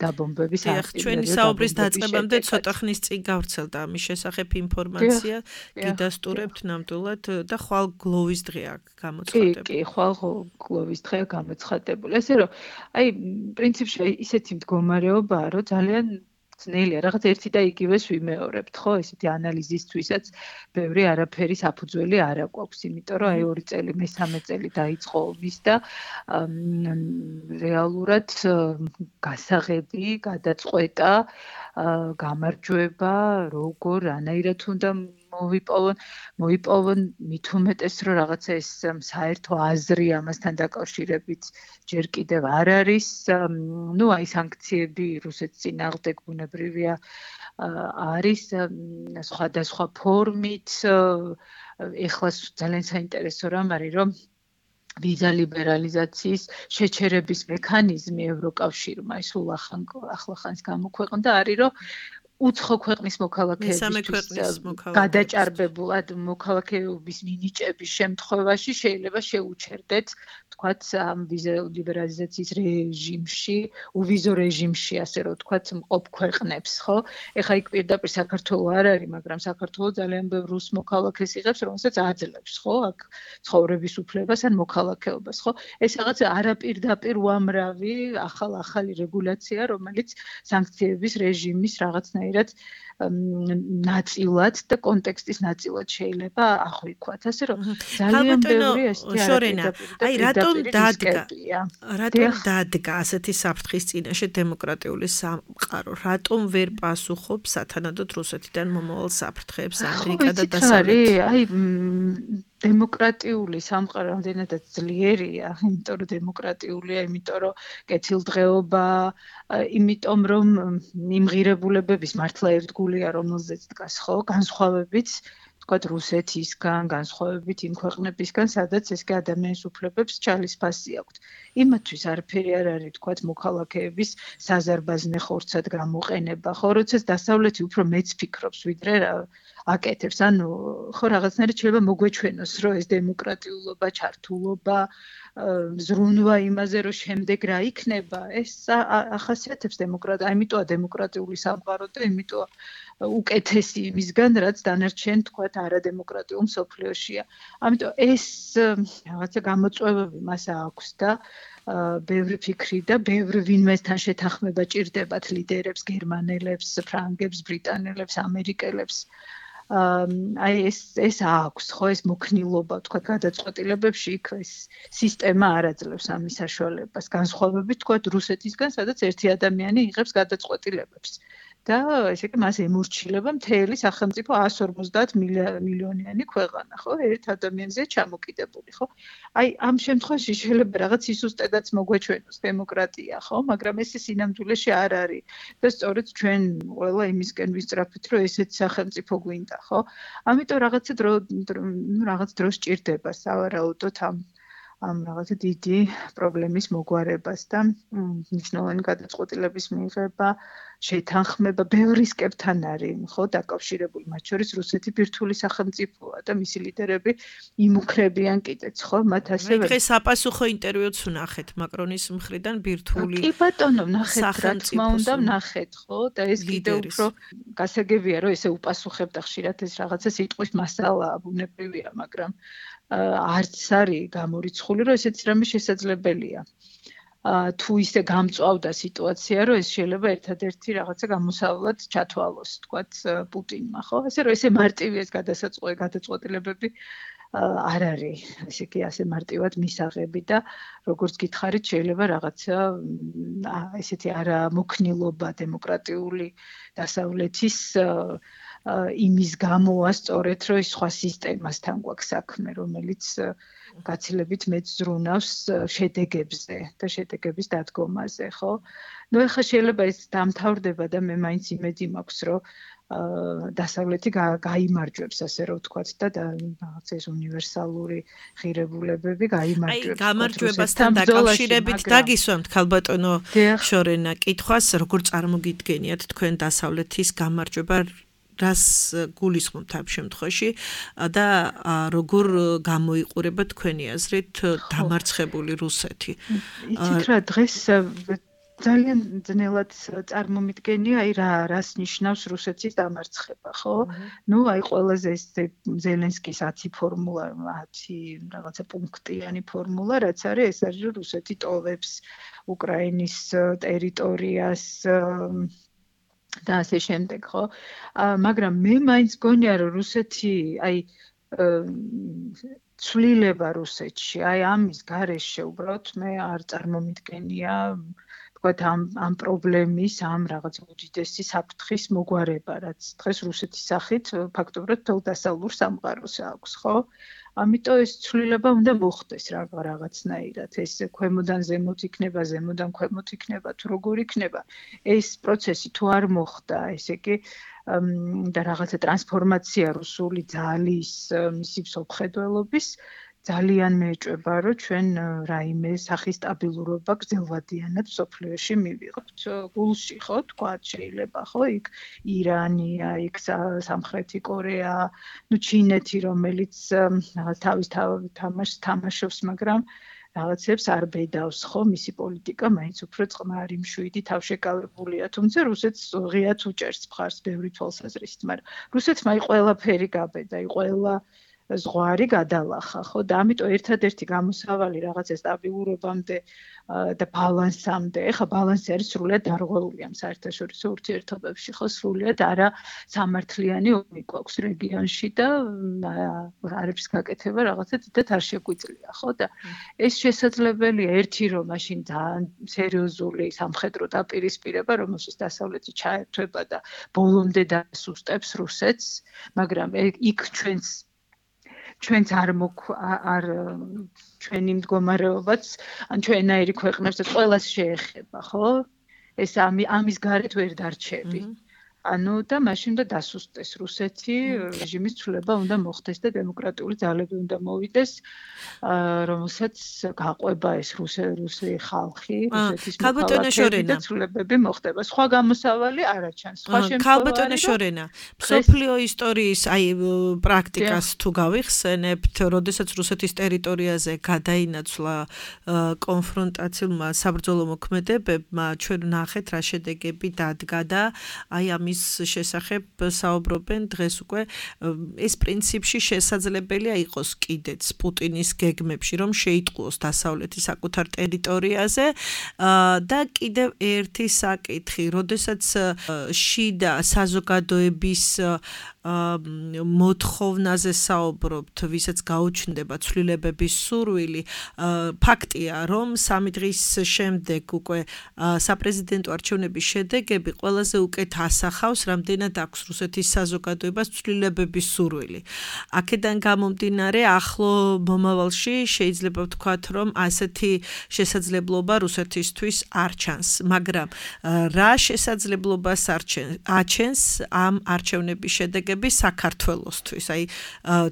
დაბომბების აქტივობებში. ჩვენი საუბრის დაწყებამდე ცოტა ხნის წინ გავრცელდა ამის შესახებ ინფორმაცია, გიდასტურებთ ნამდვილად და ხვალ გლოვის დღეა გამოცხადებული. კი, ხვალ გლოვის დღეა გამოცხადებული. ესე რომ აი პრინციპში ისეთი მდგომარეობაა, რომ ძალიან ძნელია, რაღაც ერთი და იგივეს ვიმეორებთ, ხო? ესეთი ანალიზისთვისაც ბევრი არაფერი საფუძველი არ აქვს, იმიტომ რომ აი 2 წელი, მე-3 წელი დაიწყო ომის და რეალურად გასაღები, გადაწყვეტა, გამარჯვება, როგორ, რანაირად უნდა მოიპოვონ მით უმეტეს, რომ რაღაცა ეს საერთო აზრი ამასთან დაკავშირებით ჯერ კიდევ არ არის. ნუ აი სანქციები რუსეთის წინააღმდეგ ბუნებრივია არის სხვადასხვა ფორმით. ეხლა ძალიან საინტერესო რამ არის, რომ ვიზა ლიბერალიზაციის შეჩერების მექანიზმი ევროკავშირმა სულ ახლახანს გამოქვეყნდა, არის რომ უცხო ქვეყნის მოქალაქეებისთვის გადაჭარბებულად მოქალაქეობის მინიჭების შემთხვევაში შეიძლება შეუჩერდეთ, თქვათ, ამ ვიზა ლიბერალიზაციის რეჟიმში, უვიზო რეჟიმში, ასე რომ თქვათ, მყოფ ქვეყნებს, ხო? ეხლა იქ პირდაპირ საქართველო არ არის, მაგრამ საქართველო ძალიან ბევრ რუს მოქალაქეს იღებს, რომელსაც აძლევს, ხო? აქ ცხოვრების უფლებას ან მოქალაქეობას, ხო? ეს რაღაც არაპირდაპირ უამრავი ახალი რეგულაცია, რომელიც სანქციების რეჟიმის რაღაცნაირად ნაწილად და კონტექსტის ნაწილად შეიძლება აღვიქვათ, ასე რომ ძალიან ბევრი ესეთი აი რატომ დადგა ასეთი საფრთხის წინაშე დემოკრატიული სამყარო, რატომ ვერ პასუხობს სათანადოდ რუსეთიდან მომავალ საფრთხეებს ამერიკა და დასავლეთი? აი დემოკრატიული სამყარო რამდენადაც ძლიერია, იმიტომ რომ დემოკრატიულია, იმიტომ რომ კეთილდღეობა, იმიტომ რომ მიმღირებულებების მართლა ერთგულია, რომელზეც დგას, ხო, განსხვავებით თქვათ რუსეთისგან, განსხვავებით იმ ქვეყნებისგან, სადაც ესკე ადამიანის უფლებებს ჩალისფასი აქვთ. იმათთვის არაფერი არ არის, თქვათ, მოქალაქეების საზარბაზნე ხორცად გამოყენება, ხო, როდესაც დასავლეთი უფრო მეც ფიქრობს, ვიდრე აკეთებს. ანუ ხო რაღაცნაირად შეიძლება მოგვეჩვენოს, რომ ეს დემოკრატიულობა, ჩართულობა, ზრუნვა იმაზე, რომ შემდეგ რა იქნება, ეს ახასიათებს დემოკრატია. ამიტოა დემოკრატიული სამყარო და იმიტოა უკეთესი იმისგან, რაც დანარჩენ თქვათ არადემოკრატიულ მსოფლიოშია. ამიტომ ეს რაღაცა გამოწვევები მას აქვს და ბევრი ფიქრი და ბევრი ვინმესთან შეთანხმება ჭირდებათ ლიდერებს, გერმანელებს, ფრანგებს, ბრიტანელებს, ამერიკელებს. აი ეს აქვს, ხო, ეს მოქნილობა, თქვათ, გადაწყვეტილებებში იქ ეს სისტემა არ აძლევს ამის საშუალებას. განსხვავებით, თქვათ, რუსეთისგან, სადაც ერთი ადამიანი იღებს გადაწყვეტილებებს. და ესე იგი მას ემორჩილება მთელი სახელმწიფო 150 მილიონიანი ქვეყანა, ხო? ერთ ადამიანზე ჩამოკიდებული, ხო? აი ამ შემთხვევაში შეიძლება რაღაც სისუსტედაც მოგვეჩვენოს დემოკრატია, ხო? მაგრამ ეს სინამდვილეში არ არის. და სწორედ ჩვენ ყველა იმისკენ ვისწრაფით, რომ ესეთი სახელმწიფო გვინდა, ხო? ამიტომ რაღაც დრო სჭირდება სავარაუდოდ ამ რაღაცა დიდი პრობლემის მოგვარებას და მნიშვნელოვანი გადაწყვეტილების მიღება, შეთანხმება ბევრი სკეპთან არის, ხო, დაკავშირებული, მათ შორის რუსეთი ბირთვული სახელმწიფოა და მისი ლიდერები იმუქრებიან კიდეც, ხო, მათ ასევე დღეს საპასუხო ინტერვიუც ვნახეთ მაკრონის მხრიდან ბირთვული კი ბატონო, ვნახეთ, რა თქმა უნდა, ვნახეთ, ხო, და ეს კიდევ უფრო გასაგებია, რომ ესე უპასუხებდა ხშირად ეს რაღაცა სიტყვის მასალაა, ბუნებრივია, მაგრამ არც არის გამორიცხული, რომ ესეც რამე შესაძლებელია. თუ ისე გამწვავდა სიტუაცია, რომ ეს შეიძლება ერთადერთი რაღაცა გამოსავლად ჩათვალოს, თქვათ, პუტინმა, ხო? ასე რომ ესე მარტივი ეს გადაწყვეტილებები არ არის, ესე იგი ასე მარტივად მისაღები და როგორც გითხარით, შეიძლება რაღაცა ესეთი არამოქნილობა დემოკრატიული დასავლეთის იმის გამოა სწორედ, რომ ის სხვა სისტემასთან გვაქვს საქმე, რომელიც გაცილებით მეც ზრუნავს შედეგებზე და შედეგების დადგომაზე, ხო? ნუ ეხლა შეიძლება ეს დამთავრდება და მე მაინც იმედი მაქვს, რომ დასავლეთი გაიმარჯვებს, ასე რომ ვთქვათ და რაღაც ეს უნივერსალური ღირებულებები გაიმარჯვებს. აი, გამარჯვებასთან დაკავშირებით დაგისვამთ ქალბატონო შორენა კითხვას, როგორ წარმოგიდგენიათ თქვენ დასავლეთის გამარჯვება, რას გულისხმობთ ამ შემთხვევაში და როგორ გამოიყურება თქვენი აზრით დამარცხებული რუსეთი? იცით რა, დღეს ძალიან ძნელად წარმომიდგენია, აი რას ნიშნავს რუსეთის დამარცხება, ხო? ნუ აი ყველაზე ეს ზელენსკის 10 ფორმულა, 10 რაღაცა პუნქტიანი ფორმულა, რაც არის, ეს არის რომ რუსეთი ტოვებს უკრაინის ტერიტორიას და ასე შემდეგ, ხო? მაგრამ მე მაინც გონია, რომ რუსეთი, აი ცვლილება რუსეთში, აი ამის გარეშე უბრალოდ მე არ წარმომიდგენია თქვათ ამ პრობლემის, ამ რაღაც უდიდესი საფრთხის მოგვარება, რაც დღეს რუსეთის სახით ფაქტობრივად თელ დასავლურ სამყაროს აქვს, ხო? ამიტომ ეს ცვლილება უნდა მოხდეს რაღაცნაირად, ეს ქვემოდან ზემოთ იქნება, ზემოდან ქვემოთ იქნება, თუ როგორ იქნება, ეს პროცესი თუ არ მოხდა, ესე იგი და რაღაცა ტრანსფორმაცია რუსული ძალის, მისი მსოფლმხედველობის ძალიან მეეჭვება, რომ ჩვენ რაიმე სახის სტაბილურობა გრძელვადიანად მსოფლიოში მივიღებთ. გულში, ხო, თქვა, შეიძლება, ხო, იქ ირანია, იქ სამხრეთი კორეა, ნუ ჩინეთი, რომელიც რაღაც თავის თამაშობს, მაგრამ რაღაცებს არ ბედავს, ხო, მისი პოლიტიკა მაინც უფრო წყნარი, მშვიდი, თავშეკავებულია, თუმცა რუსეთს ღიად უჭერს მხარს ბევრი თვალსაზრისით, მაგრამ რუსეთმა აი ყველაფერი გაბედა, აი ყველა ზღვარი გადალახა, ხო, და ამიტომ ერთადერთი გამოსავალი რაღაცა სტაბილურობამდე და ბალანსამდე, ეხლა ბალანსი არის სრულიად დარღვეული ამ საერთაშორისო ურთიერთობებში, ხო, სრულიად არა სამართლიანი ომი გვაქვს რეგიონში და არაფრის გაკეთება რაღაცა დიდად არ შეგვიძლია, ხო, და ეს შესაძლებელია ერთი რომ მაშინ ძალიან სერიოზული სამხედრო დაპირისპირება, რომელშიც დასავლეთი ჩაერთვება და ბოლომდე დასუსტებს რუსეთს, მაგრამ იქ ჩვენც არ ჩვენი მდგომარეობაც, ან ჩვენაირი ქვეყნებსაც ყველას შეეხება, ხო? ეს ამის გარეთ ვერ დარჩები. ანუ და მაშინ და დასუსტეს რუსეთი, რეჟიმის ცვლილება უნდა მოხდეს და დემოკრატიული ძალები უნდა მოვიდეს, რომელსაც გაყვება ეს რუსი ხალხი, რუსეთის მოქალაქეები და ცვლილებები მოხდება. სხვა გამოსავალი არ აჩანს. სხვა შემთხვევაში ქალბატონო შორენა, მსოფლიო ისტორიის პრაქტიკას თუ გავიხსენებთ, როდესაც რუსეთის ტერიტორიაზე გადაინაცვლა კონფრონტაციულმა საბრძოლო მოქმედებებმა, ჩვენ ნახეთ რა შედეგები დადგა და ამის შესახებ საუბრობენ დღეს უკვე ეს პრინციპში შესაძლებელია იყოს კიდეც პუტინის გეგმებში რომ შეიტყუოს დასავლეთი საკუთარ ტერიტორიაზე და კიდევ ერთი საკითხი, როდესაც შიდა საზოგადოების მოთხოვნაზე საუბრობთ, ვისაც გაუჩნდება ცვლილებების სურვილი, ფაქტია, რომ 3 დღის შემდეგ უკვე საპრეზიდენტო არჩევნების შედეგები ყველაზე უკეთ ასახავს, რამდენად აქვს რუსეთის საზოგადოებას ცვლილებების სურვილი. აქედან გამომდინარე, ახლო მომავალში შეიძლება ვთქვათ, რომ ასეთი შესაძლებლობა რუსეთისთვის არ ჩანს, მაგრამ რა შესაძლებლობას აჩენს ამ არჩევნების შედეგები საქართველოსთვის. აი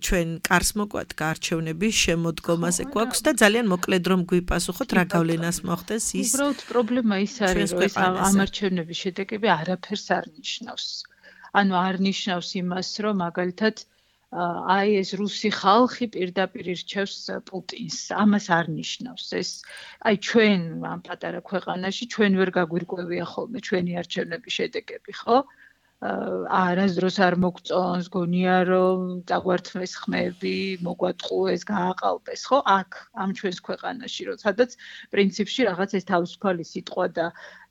ჩვენ კარს მოგვადგა არჩევნების შემოდგომაზე გვაქვს და ძალიან მოკლედ რომ გვიპასუხოთ რა გავლენას მოხდეს ის. უბრალოდ პრობლემა ის არის, რომ ეს ამ არჩევნების შედეგები არაფერს არ ნიშნავს. ანუ არ ნიშნავს იმას, რომ მაგალითად აი ეს რუსი ხალხი პირდაპირ ირჩევს პუტინს. ამას არ ნიშნავს. ეს აი ჩვენ ამ პატარა ქვეყანაში ჩვენ ვერ გაგვირკვევია ხოლმე ჩვენი არჩევნების შედეგები, ხო? არასდროს არ მოგწონს, გონია რომ დაგვართმეს ხმები, მოგვატყუეს, გააყალბეს, ხო? აქ ამ ჩვენს ქვეყანაში, რომ სადაც პრინციპში რაღაც ეს თავისუფალი სიტყვა და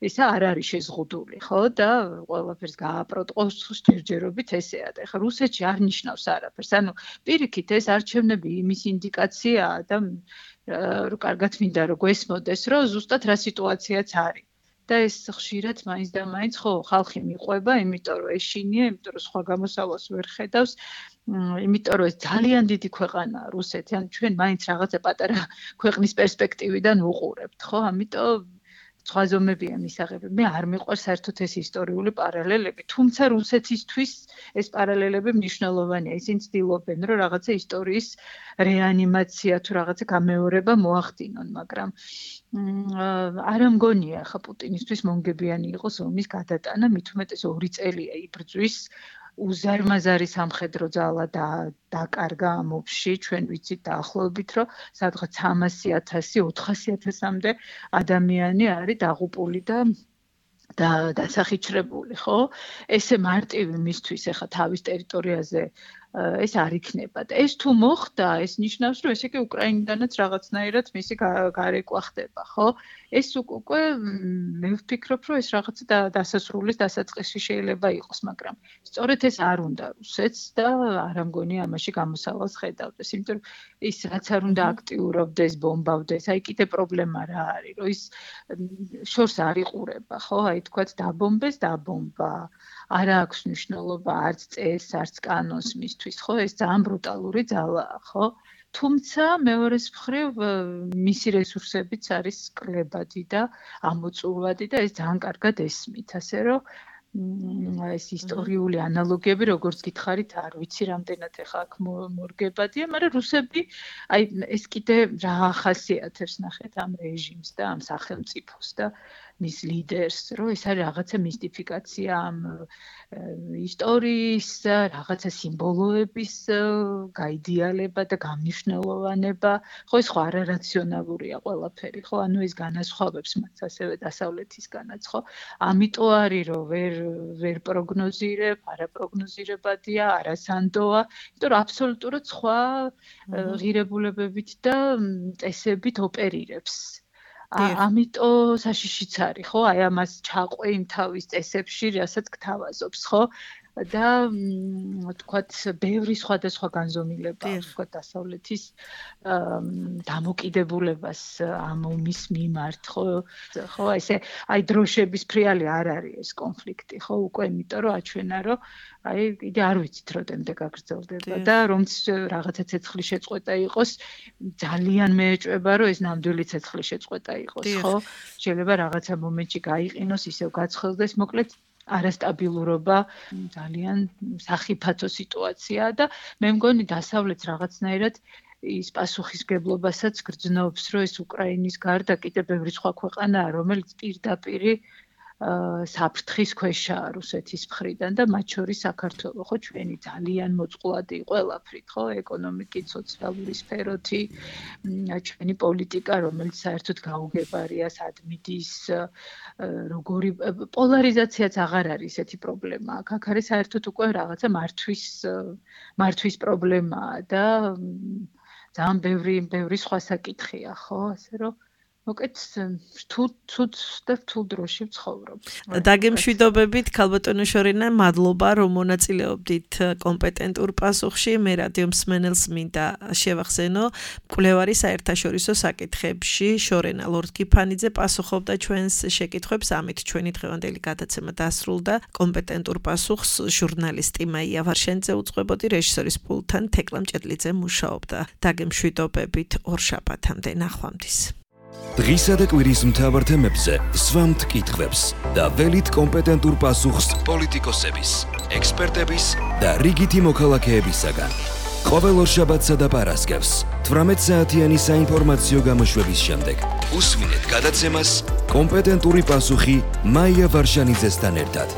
ისა არ არის შეზღუდული, ხო? და ყველაფერს გააპროტყოს ჯერჯერობით ესეა. და ეხლა რუსეთში არ ნიშნავს არაფერს. ანუ პირიქით ეს არჩევნები იმის ინდიკაციაა და კარგად მინდა რომ გვესმოდეს, რომ ზუსტად რა სიტუაციაც არის. და ეს ხშირად მაინც და მაინც ხო ხალხი მიყვება, იმიტომ რომ ეშინია, იმიტომ რომ სხვა გამოსავალს ვერ ხედავს, იმიტომ რომ ეს ძალიან დიდი ქვეყანაა რუსეთი, ან ჩვენ მაინც რაღაცა პატარა ქვეყნის პერსპექტივიდან ვუყურებთ, ხო? ამიტომ სხვა ზომებია მისაღები. მე არ მიყვარს საერთოდ ეს ისტორიული პარალელები, თუმცა რუსეთისთვის ეს პარალელები მნიშვნელოვანია. ისინი ცდილობენ, რომ რაღაცა ისტორიის რეანიმაცია თუ რაღაცა გამეორება მოახდინონ, მაგრამ არ მგონია ხა პუტინისთვის მონგებიანი იყოს ომის გადატანა, მით უმეტეს 2 წელია იბრძვის, უზარმაზარი სამხედრო ძალა დაკარგა ამ ომში, ჩვენ ვიცით დაახლოებით, რომ სადღაც 300,000, 400,000-მდე ადამიანი არის დაღუპული და დასახიჩრებული, ხო? ესე მარტივი მისთვის ახლა თავის ტერიტორიაზე ეს არ იქნება და ეს თუ მოხდა, ეს ნიშნავს, რომ ესე იგი უკრაინიდანაც რაღაცნაირად მისი გარეკვა ხდება, ხო? ეს უკვე მე ვფიქრობ, რომ ეს რაღაცა დასასრულის დასაწყისი შეიძლება იყოს, მაგრამ სწორედ ეს არ უნდა რუსეთს და არ ამგონი ამაში გამოსავალს ხედავდეს, იმიტომ რომ ის რაც არ უნდა აქტიურობდეს, ბომბავდეს, აი კიდე პრობლემა რა არის, რომ ის შორს არ იყურება, ხო? აი თქვათ დაბომბეს, დაბომბა. არ აქვს მნიშვნელობა არც წესს, არც კანონს მისთვის, ხო? ეს ძალიან ბრუტალური ძალაა, ხო? თუმცა მეორეს მხრივ მისი რესურსებიც არის კლებადი და ამოწურვადი და ეს ძალიან კარგად ესმით, ასე რომ ეს ისტორიული ანალოგიები, როგორც გითხარით, არ ვიცი რამდენად ახლა აქ მორგებადია, მაგრამ რუსები აი ეს კიდე რა ახასიათებს ნახეთ ამ რეჟიმს და ამ სახელმწიფოს და მის ლიდერს, რომ ეს არის რაღაცა მისტიფიკაცია ამ ისტორიის, რაღაცა სიმბოლოების გაიდეალება და გამნიშნელოვანება, ხო ეს ხო არარაციონალურია ყველაფერი, ხო? ანუ ეს განასხვავებს მას ასევე დასავლეთისგანაც, ხო? ამიტომ არის რომ ვერ პროგნოზირებ, არაპროგნოზირებადია, არასანდოა, იმიტომ რომ აბსოლუტურად სხვა ღირებულებებით და წესებით ოპერირებს. ამიტომ საშიშიც არის, ხო? აი ამას ჩაყვე იმ თავის წესებში, რასაც გთავაზობს, ხო? და თქვათ, ბევრი სხვადასხვა განზომილება, თქვათ, დასავლეთის დამოკიდებულებას ამ ომის მიმართ, ხო, ესე აი დროშების ფრიალი არ არის ეს კონფლიქტი, ხო, უკვე იმიტომ რომ აჩვენა, რომ აი კიდე არ ვიცით როდემდე გაგრძელდება და რომც რაღაცა ცეცხლის შეწყვეტა იყოს, ძალიან მეეჭვება, რომ ეს ნამდვილი ცეცხლის შეწყვეტა იყოს, ხო? შეიძლება რაღაცა მომენტში გაიყინოს, ისევ გაცხელდეს, მოკლედ არასტაბილურობა ძალიან სახიფათო სიტუაციაა და მე მგონი დასავლეთს რაღაცნაირად ის პასუხისგებლობასაც გრძნობს, რომ ეს უკრაინის გარდა კიდევ ბევრი სხვა ქვეყანაა, რომელიც პირდაპირ საფრთხის ქვეშაა რუსეთის მხრიდან და მათ შორის საქართველო, ხო, ჩვენი ძალიან მოწყვლადი ყველაფრით, ხო, ეკონომიკით, სოციალური სფეროთი, ჩვენი პოლიტიკა, რომელიც საერთოდ გაუგებარია, სადმიდის, როგორი პოლარიზაციაც აღარ არის ესეთი პრობლემა. აქ არის საერთოდ უკვე რაღაცა მართვის პრობლემაა და ძალიან ბევრი სხვა საკითხია, ხო, ასე რომ მოკეთ რთულ დროში ვცხოვრობ. დაგემშვიდობებით, ქალბატონო შორინა, მადლობა, რომ მონაწილეობდით კომპეტენტურ პასუხში. მე რადიო მსმენელს მინდა შევახსენო, მკვლევარი საერთაშორისო საკითხებში შორენა ლორდ-კიფანიძე პასუხობდა ჩვენს შეკითხვებს. ამით ჩვენი დღევანდელი გადაცემა დასრულდა. კომპეტენტურ პასუხს ჟურნალისტი მაია ვარშენიძე უძღვებოდი, რეჟისორის პულტთან თეკლა მჭედლიძე მუშაობდა. დაგემშვიდობებით, ორშაბათამდე, ნახვამდის. დღისა და კვირის მთავარ თემებზე სვამთ კითხვებს და ველით კომპეტენტურ პასუხს პოლიტიკოსების, ექსპერტების და რიგითი მოქალაქეებისაგან. ყოველ ორშაბათსა და პარასკევს 18 საათიანი საინფორმაციო გამოშვების შემდეგ უსმინეთ გადაცემას კომპეტენტური პასუხი მაია ვარშანიძესთან ერთად.